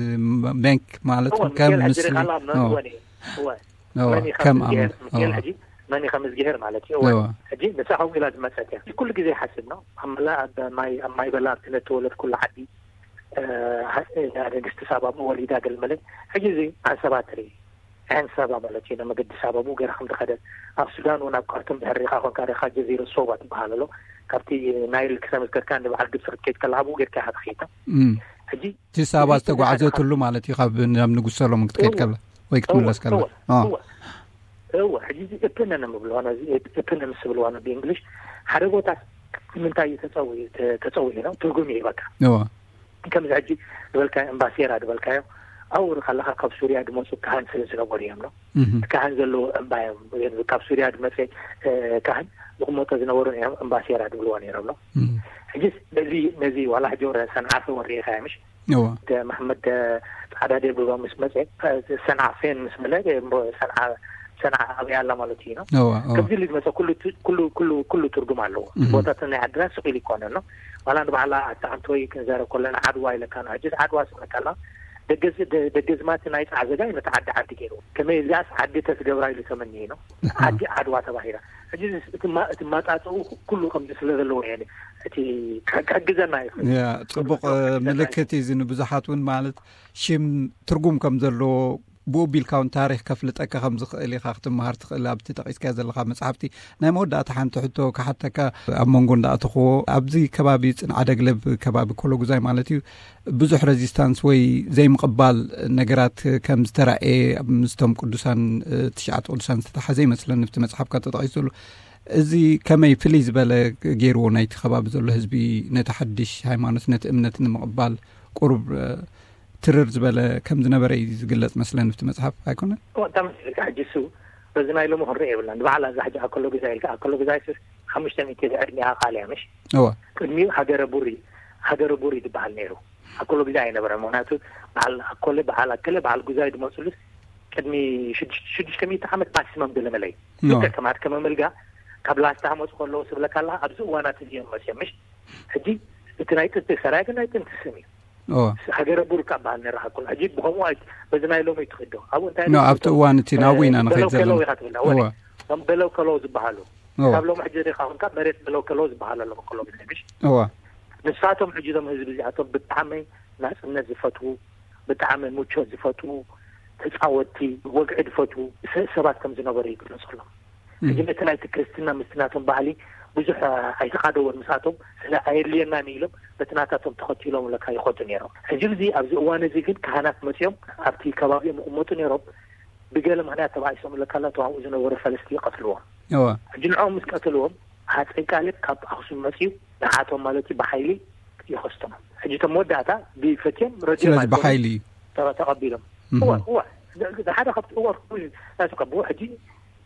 መሊክ ማለት ከም ምስል። መን ከም ምዝግሄር ማለት እዩ። ሕጂ ንሳ ከምኡ ኢላ ዝመፀት እያ። ኩሉ ግዜ ይሓስብ ነው። ኣብ መላ ኣብ ማይ በላ ኣብቲ ነተወለድ ኩሉ ዓዲ ንግስቲ ሳባ ወሊዳ ገልመለ። ሕጂ እዚ ዓንሰባ ትርኢ፣ ዓንሰባ ማለት እዩ። ንመገዲ ሳባ ብኡ ገይራ ከም ዝኸደት፣ ኣብ ሱዳን እውን ኣብ ካርቱም ድሕር ሪኻ ኮንካ ሪኻ ጀዚረ ሶባ ትበሃል ኣሎ። ካብቲ ናይል ክሰብ ዝገርካ ንበዓል ግብፂ ክትከይድ ከለካ ብኡ ጌርካ ኢኻ ትኸይድ። ሕጂ እቲ ሳባ ዝተጓዓዘትሉ ማለት እዩ፣ ካብ ናብ ንጉስ ሰሎሞን ክትከይድ ከላ ወይ ክትምለስ ከላ። እወ ሕጂ እዚ እፕነን ምብልዋ እዚ እፕነን ስብልዋ ብእንግሊሽ ሓደ ቦታ ንምንታይ እዩ ተፀዊዑ ነው ትርጉም ይህበካ። ከምዚ ሕጂ ዝበልካዮ እምባሴራ ዝበልካዮ፣ ኣብኡ ከለካ ካብ ሱርያ ዝመፁ ካህን ስለ ዝነበሩ እዮም ነው። እቲ ካህን ዘለዎ እምባ እዮም። ካብ ሱርያ ዝመፀ ካህን ዝቕመጦ ዝነበሩ እዮም እምባሴራ ዝብልዎ ነይሮም ነው። ሕጂ ነዚ ነዚ ዋላ ሕጂ ወረ ሰንዓ ተወሪእካ ምሽ መሓመድ ፃዕዳ ደብባ ምስ መፀ፣ ሰንዓ ፌን ምስ በለ ሰንዓ ሰንዓ ኣብያ ኣላ ማለት እዩ ነው። ከምዚ ኢሉ ዝመፀ ኩሉ ትርጉም ኣለዎ። ቦታት ናይ ዓድና ስቕ ኢሉ ይኮነ ነው። ዋላ ንባዕላ ኣታ ዓንተወይ ክንዛረብ ከለና ዓድዋ ኢለካ ነው። ሕጂ ዓድዋ ስመካላ ደገዝማቲ ናይ ፃዕዘጋ እዩ ነቲ ዓዲ ዓዲ ገይሩ። ከመይ እዚኣስ ዓዲ ተትገብራ ኢሉ ተመኒ ነው። ዓዲ ዓድዋ ተባሂላ። ሕጂ እቲ ማጣጥኡ ኩሉ ከምዚ ስለ ዘለዎ እየ እቲ ክሕግዘና ይኽእል። ጽቡቕ ምልክት እዩ እዚ። ንብዙሓት እውን ማለት ሽም ትርጉም ከም ዘለዎ ብኡ ቢልካ እውን ታሪኽ ከፍልጠካ ከም ዝኽእል ኢኻ ክትመሃር ትኽእል። ኣብቲ ጠቒስካዮ ዘለኻ መጽሓፍቲ ናይ መወዳእታ ሓንቲ ሕቶ ክሓተካ፣ ኣብ መንጎ እንዳኣተኽዎ ኣብዚ ከባቢ ጽንዓ ደግለብ ከባቢ ኮሎጉዛይ ማለት እዩ ብዙሕ ሬዚስታንስ ወይ ዘይምቕባል ነገራት ከም ዝተራእየ ምስቶም ቅዱሳን ትሽዓተ ቅዱሳን ዝተተሓዘ ይመስለኒ ኣብቲ መጽሓፍካ ተጠቒሱ ዘሎ። እዚ ከመይ ፍልይ ዝበለ ገይርዎ ናይቲ ከባቢ ዘሎ ህዝቢ ነቲ ሓድሽ ሃይማኖት ነቲ እምነት ንምቕባል ቁሩብ ትርር ዝበለ ከም ዝነበረ እዩ ዝግለጽ መስለኒ ኣብቲ መጽሓፍ ኣይኮነን? እወ፣ እታ መስልካ ሕጂ እሱ በዚ ናይ ሎሚ ክንርኢ የብልና። ንባዕላ እዛ ሕጂ ኣከሎ ግዛይ ኢልካ፣ ኣከሎ ግዛይ ስስ ሓሙሽተ ሚእቲ ዕድሚኣ ቃል እያ፣ ምሽ? እወ። ቅድሚኡ ሃገረ ቡሪ፣ ሃገረ ቡሪ ዝበሃል ነይሩ። ኣከሎ ግዛይ ኣይነበረ። ምክንያቱ በዓል ኣኮለ፣ በዓል ኣከለ፣ በዓል ጉዛይ ዝመፅሉስ ቅድሚ ሽዱሽተ ሚእቲ ዓመት ማክሲመም ገለመለ እዩ። እወ። ልክዕ ከማት ከመመልጋ ካብ ላስታ መፁ ከለዉ ስብለካ ኣለካ፣ ኣብዚ እዋናት እዚኦም መፅዮም፣ ምሽ? ሕጂ እቲ ናይ ጥንቲ ሰራይ ግን ናይ ጥንቲ ስም እዩ። ሃገረ ቡርካ በሃል ነራ። ኩሉ ሕጂ ብኸምኡ በዚ ናይ ሎሚ ትኽዶ ኣብኡ እንታይ ኖ ኣብቲ እዋን እቲ ናብኡ ኢና ንኸይድ በለው ከለው ዘለና። ኢኻ ትብላ። እወ። እዞም በለው ከለው ዝበሃሉ እወ። ካብ ሎሚ ሕጂ ሪኻ ኮንካ መሬት በለው ከለው ዝበሃል ኣሎ። በከሎ ግዜ ምሽ እወ። ንሳቶም ሕጂ እዞም ህዝቢ እዚኣቶም ብጣዕሚ ናፅነት ዝፈትዉ፣ ብጣዕሚ ምቾት ዝፈትዉ፣ ተፃወትቲ፣ ወግዒ ዝፈትዉ ሰ- ሰባት ከም ዝነበሩ ይግለፀሎም። ሕጂ ነቲ ናይቲ ክርስትና ምስቲ ናቶም ባህሊ ብዙሕ ኣይተኻደወን። ምስኣቶም ስለ ኣየድልየናን ኢሎም በቲ ናታቶም ተኸቲሎም ለካ ይኸዱ ነይሮም። ሕጂ እዚ ኣብዚ እዋን እዚ ግን ካህናት መፅኦም ኣብቲ ከባቢኦም ይቕመጡ ነይሮም። ብገለ ምክንያት ተባኢሶም ለካ ላቶም ኣብኡ ዝነበሩ ፈለስቲ ይቐትልዎም። ሕጂ ንዕኦም ምስ ቀተልዎም ሃፀይ ቃልብ ካብ ኣክሱም መፅኡ ንዓቶም ማለት እዩ ብሓይሊ ይኸስቶም። ሕጂ እቶም መወዳእታ ብፈትዮም ረድዮም ስለዚ ኣይኮኑን። ብሓይሊ እዩ። ተቐ- ተቐቢሎም እወ እወ ሓደ ካብቲ እወ ናቱ ከብዎ ሕጂ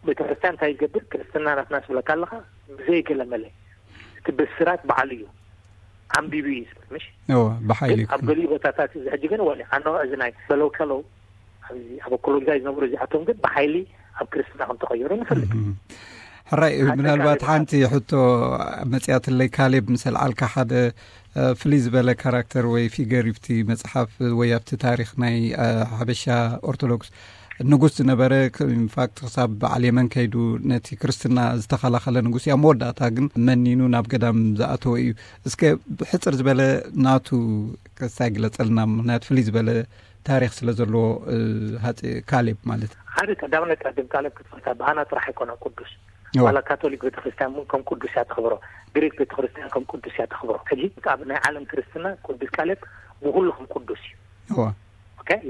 ቤተክርስትያን እንታይ ይገብር? ክርስትና ናትና ስብለካ ኣለካ ብዘይ ገለመለ እቲ ብስራት በዓሉ እዩ። ዓንቢቡ እዩ ዝብል ምሽ እወ ብሓይሊ ግን ኣብ ገሊኡ ቦታታት እዚ ሕጂ ግን ወለ ኣነ እዚ ናይ በለው ከለው ኣብዚ ኣብ ኣኮሎግዛይ ዝነብሩ እዚኣቶም ግን ብሓይሊ ኣብ ክርስትና ከም ተቐየሩ ንፈልጥ። ሕራይ ምናልባት ሓንቲ ሕቶ መፅያትለይ ካሌብ ምስ ኣልዓልካ ሓደ ፍልይ ዝበለ ካራክተር ወይ ፊገር ኣብቲ መጽሓፍ ወይ ኣብቲ ታሪኽ ናይ ሓበሻ ኦርቶዶክስ ንጉስ ዝነበረ። ኢንፋክት ክሳብ በዓል የመን ከይዱ ነቲ ክርስትና ዝተኸላኸለ ንጉስ እያ። መወዳእታ ግን መኒኑ ናብ ገዳም ዝኣተወ እዩ። እስከ ብሕፅር ዝበለ ናቱ ክሳይ ግለፀልና፣ ምክንያቱ ፍልይ ዝበለ ታሪኽ ስለ ዘለዎ። ሃፀ ካሌብ ማለት ሓደ ቀዳምነት ቀድም ካሌብ ክትፈልታ ብኣና ጥራሕ ኣይኮነን ቅዱስ። ዋላ ካቶሊክ ቤተክርስትያን እውን ከም ቅዱስ እያ ተኽብሮ። ግሪክ ቤተክርስትያን ከም ቅዱስ እያ ተኽብሮ። ሕጂ ኣብ ናይ ዓለም ክርስትና ቅዱስ ካሌብ ብኩሉ ከም ቅዱስ እዩ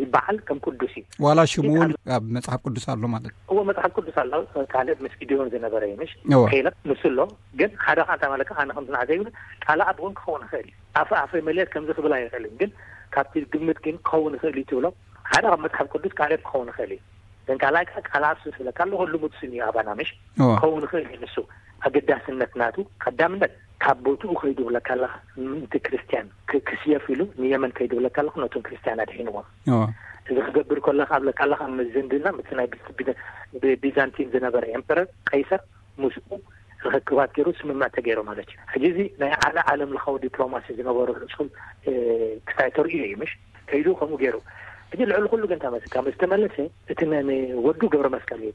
ይበዓል፣ ከም ቅዱስ እዩ። ዋላ ሽሙ እውን ኣብ መጽሓፍ ቅዱስ ኣሎ ማለት እዎ። መጽሓፍ ቅዱስ ኣሎ። ካሌብ ምስ ጊዲዮን ዝነበረ እዩ ምሽ ከይለ ንሱ ኣሎ። ግን ሓደ ከ እንታ ማለት ኣነ ከም ዝናዕ ዘይብል ቃል ኣብ እውን ክኸውን ይኽእል እዩ። ኣፈ ኣፈ መልየት ከምዚ ክብል ኣይኽእልን። ግን ካብቲ ግምት ግን ክኸውን ይኽእል እዩ ትብሎ። ሓደ ካብ መጽሓፍ ቅዱስ ካሌብ ክኸውን ይኽእል እዩ። ግን ካልኣይ ከዓ ቃል ኣብ ስብለካ ኣለኹ ልሙድ ስም እዩ ኣባና ምሽ ክኸውን ይኽእል እዩ። ንሱ ኣገዳስነት ናቱ ቀዳምነት ካብ ቦትኡ ከይዱ ብለካ ኣለኻ። ምእንቲ ክርስትያን ክስየፍ ኢሉ ንየመን ከይዱ ብለካ ኣለኹ ነቶም ክርስትያን ኣድሒንዎም። እዚ ክገብር ከለካ ብለካ ኣለኻ ምስ ዝንድና ምስ ናይ ቢዛንቲን ዝነበረ ኤምፐረር ቀይሰር ምስኡ ርክክባት ገይሩ ስምምዕ ተገይሩ ማለት እዩ። ሕጂ እዚ ናይ ዓለ ዓለም ለኻዊ ዲፕሎማሲ ዝነበሩ ርሱም ክሳይ ተርእዩ እዩ ምሽ ከይዱ ከምኡ ገይሩ። ሕጂ ልዕሊ ኩሉ ግን ተመስ ካብ ዝተመለሰ እቲ ንወዱ ገብረ መስቀል እዩ።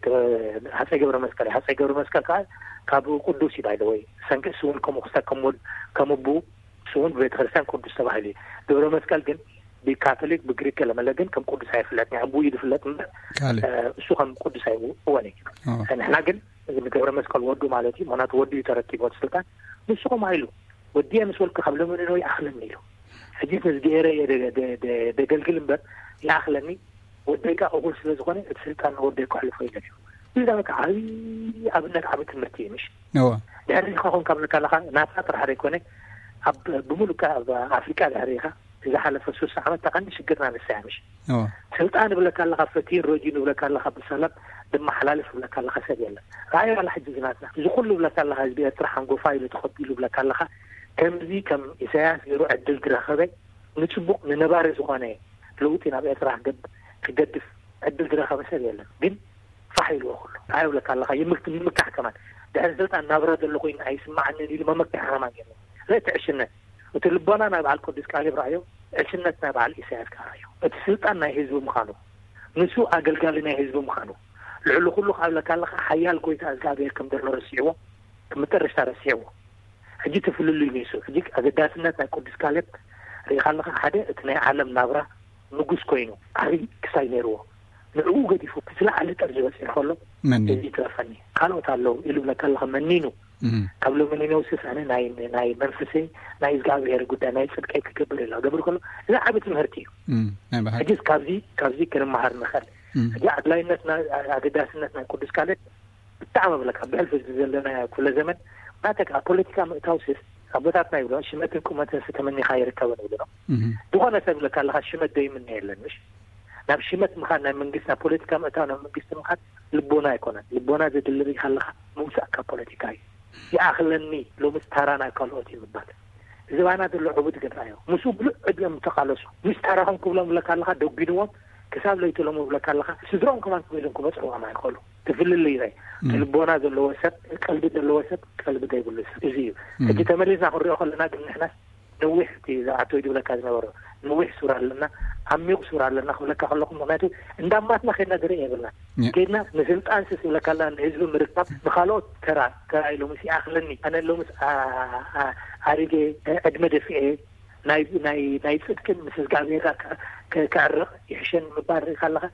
ሃፀይ ገብረ መስቀል እዩ። ሃፀይ ገብረ መስቀል ከዓ ካብ ቅዱስ እዩ ባይደ ወይ ሰንክስ እውን ከምኡ ክስተ ከም ወድ ከም ኣቡ እሱ እውን ብቤተክርስትያን ቅዱስ ተባሂሉ እዩ። ገብረ መስቀል ግን ብካቶሊክ ብግሪክ ገለመለ ግን ከም ቅዱስ ኣይፍለጥ። ኣቡ እዩ ዝፍለጥ እምበር እሱ ከም ቅዱስ ኣይእወን እዩ። ንሕና ግን ንገብረ መስቀል ወዱ ማለት እዩ። ምክንያቱ ወዱ እዩ ተረኪቡ እቲ ስልጣን። ንሱ ከምኡ ኢሉ ወዲየ ምስ ወልኩ ካብ ለመንኖ ይኣኽለኒ ኢሉ። ሕጂ ተዝገየረ እየ ደገልግል እምበር ይኣኽለኒ። ወደይ ከዓ እኹል ስለ ዝኾነ እቲ ስልጣን ንወደይ ከሕልፎ ኢለን እዩ። እዚ ዳ በቃ ዓብዪ ኣብነት ዓብዪ ትምህርቲ እዩ ምሽ። ድሕሪ ካ ኮንካ ብለካ ኣለካ ናታ ጥራሕ ዘይኮነ ኣብ ብምሉእ ኣብ ኣፍሪቃ ድሕሪ ኢኻ ዝሓለፈ ሱሳ ዓመት ተቐንዲ ሽግርና ንሳ እያ ምሽ። ስልጣን ብለካ ኣለካ ፈቲን ረጂን ብለካ ኣለካ ብሰላም ድመሓላልፍ ብለካ ኣለካ ሰብ የለን። ራእይ ዋላ ሕጂ ዝናትና እዚ ኩሉ ብለካ ኣለካ ህዝቢ ኤርትራ ሓንጎፋ ኢሉ ተኸቢሉ ብለካ ኣለካ ከምዚ ከም ኢሳያስ ገይሩ ዕድል ዝረኸበ ንፅቡቅ ንነባሪ ዝኾነ ለውጢ ናብ ኤርትራ ክገድፍ ዕድል ዝረኸበ ሰብ የለን። ግን ፋሕ ኢልዎ ኩሉ ራእይ ብለካ ኣለካ ይምክት ንምካሕ ከማን ድሕሪ ስልጣን ናብራ ዘሎ ኮይኑ ኣይስማዓንን ኢሉ መመክሒ ከማን የለን። ርእቲ ዕሽነት እቲ ልቦና ናይ በዓል ቅዱስ ቃሌብ ረኣዮ፣ ዕሽነት ናይ በዓል ኢሳያስ ከኣ ረኣዮ። እቲ ስልጣን ናይ ህዝቢ ምዃኑ፣ ንሱ ኣገልጋሊ ናይ ህዝቢ ምዃኑ፣ ልዕሊ ኩሉ ካብ ለካ ኣለካ ሓያል ጎይታ እግዚኣብሔር ከም ዘሎ ረሲዕዎ፣ መጠረሽታ ረሲዕዎ። ሕጂ እቲ ፍልልይ ንሱ። ሕጂ ኣገዳስነት ናይ ቅዱስ ካሌብ ርኢኻ ኣለካ፣ ሓደ እቲ ናይ ዓለም ናብራ ንጉስ ኮይኑ ዓብዪ ክሳይ ነይርዎ፣ ንዕኡ ገዲፉ እቲ ዝለዓለ ጠርዚ በፂሑ ከሎ መኒ እዚ ትረፈኒ ካልኦት ኣለዉ ኢሉ ብለካ ኣለካ መኒኑ ካብ ሎሚ ንነውስስ ኣነ ናይ ናይ መንፈሰይ ናይ እግዚኣብሔር ጉዳይ ናይ ፅድቀይ ክገብር ኢላ ገብር ከሎ እዚ ዓቢ ትምህርቲ እዩ። ሕጂስ ካብዚ ካብዚ ክንመሃር ንኽእል። ሕጂ ኣድላይነት ኣገዳስነት ናይ ቅዱስ ካልእ ብጣዕሚ ብለካ ብሕልፊ ዘለና ኩለ ዘመን ናተካ ፖለቲካ ምእታው ስስ ኣቦታትና ይብሎ ሽመትን ቁመትን ስተመኒኻ ይርከበን ይብሎ። ዝኾነ ሰብ ብለካ ኣለካ ሽመት ዘይምነ የለን ምሽ ናብ ሽመት ምኻድ ናይ መንግስቲ ናብ ፖለቲካ ምእታው ናብ መንግስቲ ምኻድ ልቦና ኣይኮነን። ልቦና ዘድሊ ርኢኻ ኣለኻ ምውሳእ ካብ ፖለቲካ እዩ። ይኣኽለኒ ሎምስ ታራ ናይ ካልኦት እዩ ምባል። እዚ ባና ዘሎ ዕቡድ ግን ራእዮ ምስኡ ብሉዕ ዕድሎም ተቃለሱ ምስ ታራኹም ክብሎም ብለካ ኣለኻ ደጒንዎም ክሳብ ለይቲ ሎሞ ብለካ ኣለኻ ስድሮም ከማን ክበሎም ክበፅሕዎም ኣይኽእሉ። ትፍልልይ ራይ እቲ ልቦና ዘለዎ ሰብ ቀልቢ ዘለዎ ሰብ ቀልቢ ዘይብሉ ሰብ እዚ እዩ። ሕጂ ተመሊስና ክንሪኦ ከለና ግን ንሕናስ ነዊሕ እቲ ዝኣቶ ድብለካ ዝነበረ ነዊሕ ሱር ኣለና ዓሚቕ ሱር ኣለና ክብለካ ከለኹ ምክንያቱ እንዳማትና ከድና ዝርኢ የብልና። ከድና ንስልጣን ስ ዝብለካ ኣለና ንህዝቢ ምርካብ ንካልኦት ተራ ተራ ኢሎምስ ይኣኽለኒ ኣነ ሎምስ ኣሪገ ዕድመ ደፊኤ ናይ ናይ ናይ ጽድቅን ምስ እግዚኣብሔር ከዕርቕ ይሕሸኒ ምባል ርኢካ ኣለኻ።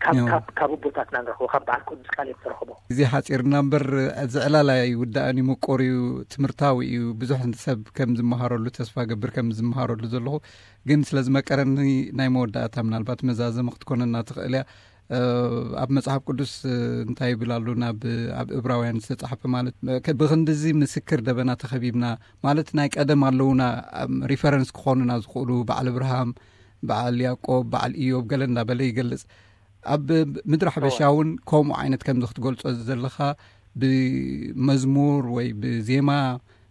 ካብ ካብ ኣቦታትና ንረኽቦ ካብ በዓል ቅዱስ ቃል እዮም ተረኽቦ። እዚ ሓፂርና እምበር እዚ ዕላል ኣይውዳእን እዩ፣ ምቁር እዩ፣ ትምህርታዊ እዩ። ብዙሕ ሰብ ከም ዝመሃረሉ ተስፋ ገብር ከም ዝመሃረሉ ዘለኹ ግን ስለ ዝመቀረኒ ናይ መወዳእታ ምናልባት መዛዘሚ ክትኮነና ትኽእል እያ። ኣብ መጽሓፍ ቅዱስ እንታይ ይብል ኣሎ ናብ ኣብ እብራውያን ዝተጻሕፈ ማለት ብክንድዚ ምስክር ደበና ተኸቢብና ማለት ናይ ቀደም ኣለውና ሪፈረንስ ክኾኑና ዝኽእሉ በዓል እብርሃም በዓል ያዕቆብ በዓል ኢዮብ ገለ እንዳበለ ይገልጽ። ኣብ ምድሪ ሓበሻ እውን ከምኡ ዓይነት ከምዚ ክትገልጾ ዘለኻ ብመዝሙር ወይ ብዜማ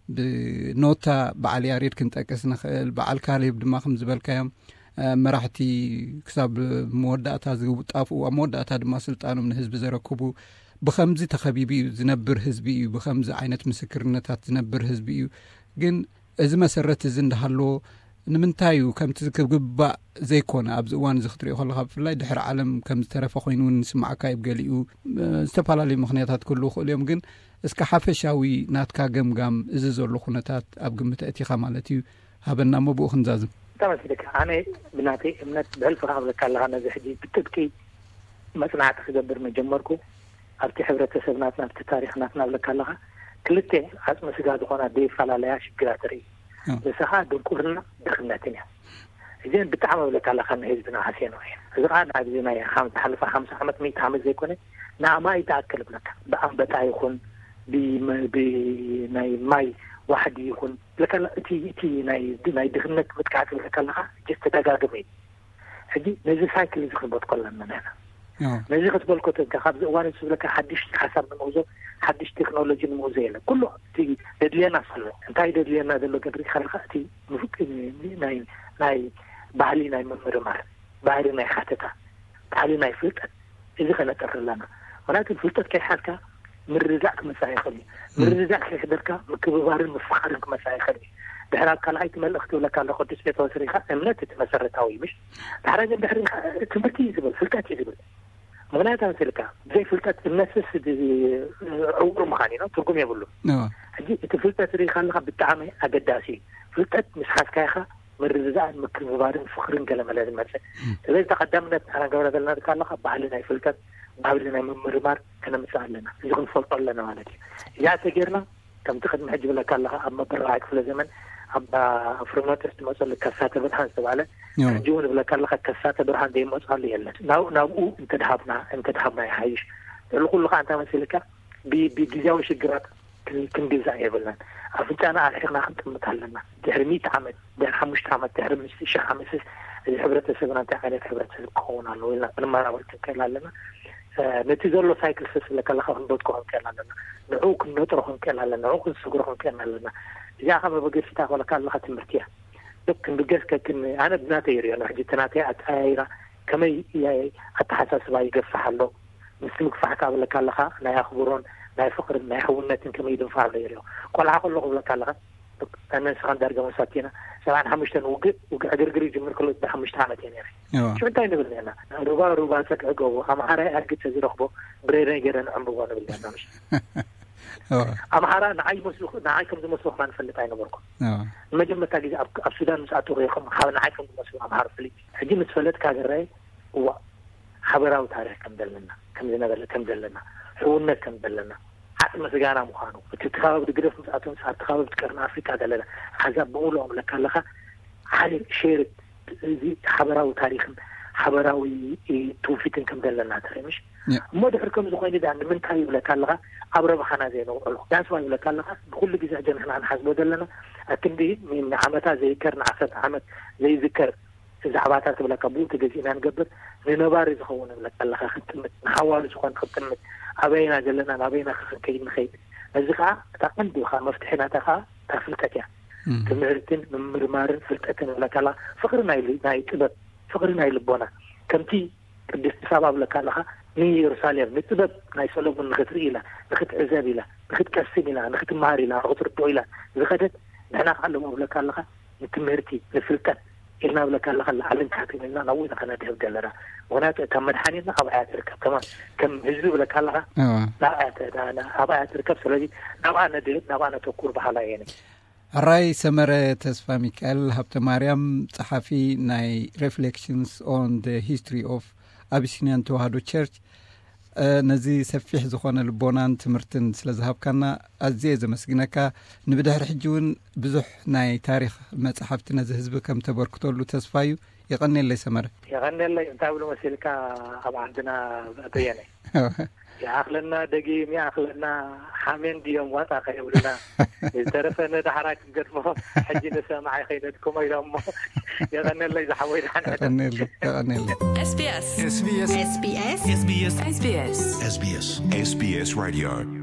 ብኖታ በዓል ያሬድ ክንጠቅስ ንኽእል። በዓል ካሌብ ድማ ከም ዝበልካዮም መራሕቲ ክሳብ መወዳእታ ዝጣፍኡ ኣብ መወዳእታ ድማ ስልጣኖም ንህዝቢ ዘረክቡ ብኸምዚ ተኸቢቡ እዩ ዝነብር ህዝቢ እዩ። ብኸምዚ ዓይነት ምስክርነታት ዝነብር ህዝቢ እዩ። ግን እዚ መሰረት እዚ እንዳሃለዎ፣ ንምንታይ እዩ ከምቲ ክግባእ ዘይኮነ ኣብዚ እዋን እዚ ክትሪኦ ከለኻ፣ ብፍላይ ድሕሪ ዓለም ከም ዝተረፈ ኮይኑ እውን ንስማዓካ እዩ። ገሊኡ ዝተፈላለዩ ምኽንያታት ክህልዉ ይኽእሉ እዮም። ግን እስከ ሓፈሻዊ ናትካ ገምጋም፣ እዚ ዘሎ ኩነታት ኣብ ግምት ኣእቲኻ ማለት እዩ፣ ሃበና እሞ ብኡ ክንዛዝም። ተመስልካ፣ ኣነ ብናተይ እምነት ብሕልፊ ክብለካ ኣለኻ፣ ነዚ ሕጂ ብጥብቂ መጽናዕቲ ክገብር መጀመርኩ፣ ኣብቲ ሕብረተሰብ ናትና፣ ኣብቲ ታሪኽ ናትና ብለካ ኣለኻ፣ ክልተ ዓጽሚ ስጋ ዝኾና ዘይፈላለያ ሽግራት ርኢ። ንስኻ ድንቁርና፣ ድኽነትን እያ። እዚን ብጣዕሚ ብለካ ኣለኻ፣ ንህዝብና ሃስየኖ እየ። እዚ ኸዓ ኣብዚ ናይ ሓም-፣ ዝሓለፈ ሓምሳ ዓመት፣ ሚእቲ ዓመት ዘይኮነ፣ ንኣማኢት ዝኣክል ብለካ፣ ብኣንበጣ ይኹን፣ ብመ-፣ ብ-፣ ናይ ማይ ዋሕዲ ይኹን፣ ብለካ፣ እቲ፣ እቲ ናይ፣ ናይ ድኽነት መጥቃዕቲ ብለካ ኣለኻ፣ ጀስት ተደጋግመ እዩ። ሕጂ ነዚ ሳይክል እዚ ክንበትኮ ኣለና ንሕና። ነዚ ክትበልኮ ተንካ፣ ካብዚ እዋን እዚ ዝብለካ ሓድሽ ሓሳብ ንምውዞ፣ ሓድሽ ቴክኖሎጂ ንምውዞ የለን። ኩሉ እቲ ደድልየና ኣሎ። እንታይ ደድልየና ዘሎ ግን ሪኢኻ ኣለኻ፣ እቲ ምፍቅ-፣ ናይ፣ ናይ ባህሊ ናይ ምምርማር፣ ባህሊ ናይ ሓተታ፣ ባህሊ ናይ ፍልጠት፣ እዚ ከነጥሪ ኣለና። ምክንያቱ ፍልጠት ከይሓዝካ ምርድዳእ ክመጽእ ይኽእል እዩ። ምርድዳእ ከይሕደርካ ምክብባርን ምፍኻርን ክመጽእ ይኽእል እዩ። ድሕሪ ኣብ ካልኣይቲ መልእኽቲ ይብለካ ኣሎ ቅዱስ ጴጥሮስ ሪኢኻ፣ እምነት እቲ መሰረታዊ እዩ፣ ምሽ? ድሕሪ ግን ድሕሪ ኢኻ ትምህርቲ እዩ ዝብል፣ ፍልጠት እዩ ዝብል። ምክንያቱ ኣምሲልካ፣ ብዘይ ፍልጠት እምነትስ ድ-፣ ዕውር ምዃን እዩ፣ ትርጉም የብሉን። ሕጂ እቲ ፍልጠት ሪኢኻ ኣለኻ ብጣዕሚ ኣገዳሲ እዩ። ፍልጠት ምስ ሓዝካ ኢኻ ምርድዳእን ምክብባርን ፍቕርን ገለመለ ዝመጽእ። ስለዚ ተቐዳምነት ንሕና ንገብራ ዘለና ሪኢኻ ኣለኻ፣ ባህሊ ናይ ፍልጠት፣ ባህሊ ናይ ምምርማር ከነምጽእ ኣለና። እዚ ክንፈልጦ ኣለና ማለት እዩ። እዚኣ ተጌርና፣ ከምቲ ቅድሚ ሕጂ ብለካ ኣለኻ፣ ኣብ መበል ራብዓይ ክፍለ ዘመን ኣብ ፍርኖተስ ዝመጸሉ ከሳተ ብርሃን ዝተባህለ፣ ሕጂ እውን ብለካ ኣለኻ፣ ከሳተ ብርሃን ዘይመጽኣሉ የለን። ናብ-፣ ናብኡ እንተድሃብና፣ እንተድሃብና ይሓይሽ። ልዕሊ ኩሉ ኸዓ እንታይ መሲልካ፣ ብ-፣ ብግዝያዊ ሽግራት ክን-፣ ክንግዛእ የብልናን። ኣፍንጫና ኣርሒቕና ክንጥምት ኣለና። ድሕሪ ሚእቲ ዓመት፣ ድሕሪ ሓሙሽተ ዓመት፣ ድሕሪ ምስ ሺሕ ዓመትስ እዚ ሕብረተሰብና እንታይ ዓይነት ሕብረተሰብ ክኸውን ኣለዎ ኢልና ክንመራመር ክንክእል ኣለና። እ፣ ነቲ ዘሎ ሳይክል ስስ ኢለ ከለኻ ክንበትኮ ክንክእል ኣለና። ንዕኡ ክንነጥሮ ክንክእል ኣለና። ንዕኡ ክንስግሮ ክንክእል ኣለና። እዚኣ ካብ መበገሲታ ክበለካ ኣለኻ ትምህርቲ እያ። ዶክ ክንብገስ ከክን-፣ ኣነ ብናተይ ይሪኦ፣ ንሕጂ እቲ ናተይ ኣተያይራ ከመይ የ-፣ ኣተሓሳስባ ይገፍሕ ኣሎ። ምስ ምግፋሕ ካብ ብለካ ኣለኻ፣ ናይ ኣኽብሮን ናይ ፍቕርን ናይ ሕውነትን ከመይ ይድንፋዕ ኣሎ ይሪኦ። ቆልዓ ከለኹ ብለካ ኣለኻ፣ ኣነ ንስኻን ዳርጋ መሳቲና፣ ሰብዓን ሓሙሽተን ውግእ፣ ውግእ ዕግርግር ይጅምር ከሎ፣ ብ ሓሙሽተ ዓመት እየ ነይረ። ሽዑ እንታይ ንብል ነርና? ሩባ፣ ሩባ፣ ጸግዒ ጎቦ፣ ኣምሓራይ ኣድጊ ተዝረኽቦ፣ ብሬነይ ገይረ ንዕምብቦ ንብል ነርና፣ ምሽ? ኣምሓራ ንዓይ ይመስሉ፣ ንዓይ ከም ዝመስሉ ከማን እፈልጥ ኣይነበርኩን። ንመጀመርታ ግዜ ኣብ፣ ኣብ ሱዳን ምስ ኣተኹ ኢኹም፣ ካብ ንዓይ ከም ዝመስሉ ኣምሓራ ፈሊጥ። ሕጂ ምስ ፈለጥካ ዝረኣየ፣ እዋ፣ ሓበራዊ ታሪኽ ከም ዘለና፣ ከም ዝነበረ፣ ከም ዘለና፣ ሕውነት ከም ዘለና፣ ዓጽመ ስጋና ምዃኑ፣ እቲ ከባቢ ድግደፍ ምስ ኣተኹ፣ ኣብቲ ከባቢ ቀርኒ ኣፍሪቃ ዘለና፣ ኣሕዛብ ብምሉኦም ለካ ኣለኻ፣ ሓደ ሼር፣ እዚ ሓበራዊ ታሪኽን ሓበራዊ፣ እ፣ ትውፊትን ከም ዘለና ተርኢ፣ ምሽ? እሞ ድሕሪ ከም ዝኾይኑ ዳ ንምንታይ ይብለካ ኣለኻ፣ ኣብ ረብሓና ዘይነውዕሎ? ዳስዋ ይብለካ ኣለኻ፣ ብኩሉ ግዜ ሕጂ ንሕና ንሓስቦ ዘለና፣ ኣክንዲ ንዓመታ ዘይከር፣ ንዓሰርተ ዓመት ዘይዝከር ዛዕባታት ትብለካ፣ ብኡ ተገዚእና ንገብር፣ ንነባሪ ዝኸውን ይብለካ ኣለኻ፣ ክንጥምት፣ ንሓዋሩ ዝኾን ክንጥምት፣ ኣበይና ዘለና፣ ናበይና ክንከይድ ንኸይድ። ነዚ ኸዓ እታ ቀንዲ ኸዓ መፍትሒ ናታ ኸዓ እታ ፍልጠት እያ። ትምህርትን ምምርማርን ፍልጠትን ይብለካ ኣለኻ፣ ፍቕሪ ናይ ል-፣ ናይ ጥበብ፣ ፍቕሪ ናይ ልቦና፣ ከምቲ ቅድስቲ ሳባ ብለካ ኣለኻ፣ ንኢየሩሳሌም ንጥበብ ናይ ሰሎሞን ንኽትርኢ ኢላ፣ ንኽትዕዘብ ኢላ፣ ንኽትቀስም ኢላ፣ ንኽትመሃር ኢላ፣ ንኽትርድኦ ኢላ ዝኸደት፣ ንሕና ከዓ ሎሚ ብለካ ኣለኻ፣ ንትምህርቲ፣ ንፍልጠት ኢልና ብለካ ኣለኻ፣ ላዕልን ታሕትን ኢልና ናብኡ ኢና ከነድህብ ዘለና። ምኽንያቱ እታ መድሓኒትና ኣብኣ እያ ትርከብ። ከማን ከም ህዝቢ ብለካ ኣለኻ፣ ናብኣ እያ ተ-፣ ና-፣ ና-፣ ኣብኣ እያ ትርከብ። ስለዚ ናብኣ ነድህብ፣ ናብኣ ነተኩር በሃላይ እየ። ሕራይ ሰመረ ተስፋ ሚካኤል ሃብተ ማርያም፣ ጸሓፊ ናይ Reflections on the History of Abyssinian Tewahedo Church፣ እ፣ ነዚ ሰፊሕ ዝኾነ ልቦናን ትምህርትን ስለ ዝሃብካና ኣዝየ ዘመስግነካ። ንብድሕሪ ሕጂ እውን ብዙሕ ናይ ታሪኽ መጻሕፍቲ ነዚ ህዝቢ ከም ተበርክተሉ ተስፋ እዩ። የቐንየለይ ሰመረ። የቐንየለይ። እንታይ ብሉ መሲልካ፣ ኣብ ዓድና በየነ ይኣኽለና፣ ደጊም ይኣኽለና፣ ሓሜን ድዮም ዋጣ ከየብሉና፣ ዝተረፈ ንዳሕራ ክንገድፎ። ሕጂ ንሰማዓይ ከይነድክሞ ኢሎም እሞ። የቐንየለይ ዝሓወይ፣ ደሓን ሕደር። የቐንየለይ፣ የቐንየለይ። S B S። S B S። S B S። S B S። S B S። S B S። S B S Radio።